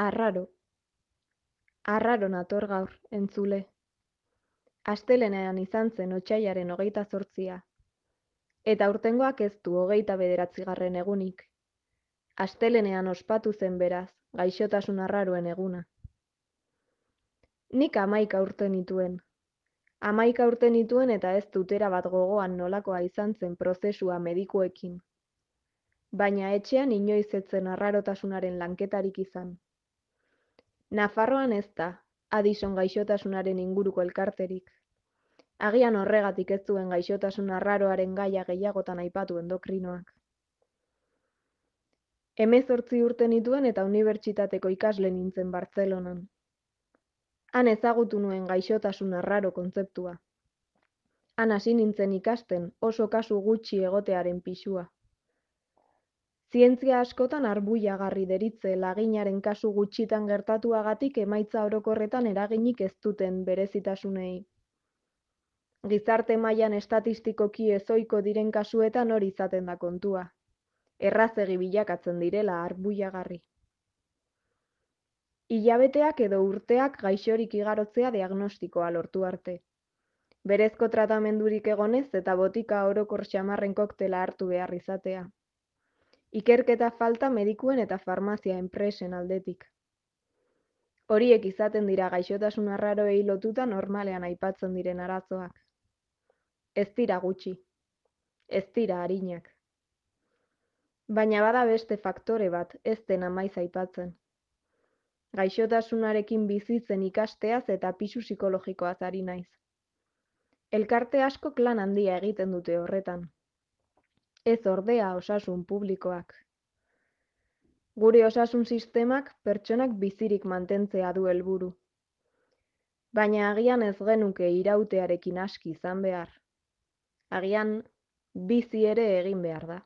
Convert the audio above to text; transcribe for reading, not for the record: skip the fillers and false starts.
Arraro, arraro nator gaur, entzule. Astelehenean izan zen otsailaren 28, eta aurtengoak ez du 29. egunik. Astelehenean ospatu zen beraz, gaixotasun arraroen eguna. Nik 11 urte nituen. 11 urte nituen eta ez dut erabat gogoan nolakoa izan zen prozesua medikuekin. Baina etxean inoiz ez zen arrarotasunaren lanketarik izan. Nafarroan ez da, Addison gaixotasunaren inguruko elkarterik. Agian horregatik ez zuen gaixotasun arraroaren gaia gehiagotan aipatu endokrinoak. 18 urte nituen eta unibertsitateko ikasle nintzen Bartzelonan. Han ezagutu nuen gaixotasun arraro kontzeptua. Han hasi nintzen ikasten oso kasu gutxi egotearen pisua. Zientzia askotan arbuiagarri deritze laginaren kasu gutxitan gertatuagatik emaitza orokorretan eraginik ez duten berezitasunei. Gizarte mailan estatistikoki ezohiko diren kasuetan hori izaten da kontua. Errazegi bilakatzen direla arbuiagarri. Hilabeteak edo urteak gaixorik igarotzea diagnostikoa lortu arte. Berezko tratamendurik egonez eta botika orokor xamarren koktela hartu behar izatea. Ikerketa falta medikuen eta farmazia enpresen aldetik. Horiek izaten dira gaixotasun arraroei lotuta normalean aipatzen diren arazoak. Ez dira gutxi. Ez dira arinak. Baina bada beste faktore bat ez dena maiz aipatzen. Gaixotasunarekin bizitzen ikasteaz eta pisu psikologikoaz ari naiz. Elkarte askok lan handia egiten dute horretan. Ez ordea osasun publikoak. Gure osasun sistemak pertsonak bizirik mantentzea du helburu. Baina agian ez genuke irautearekin aski izan behar. Agian bizi ere egin behar da.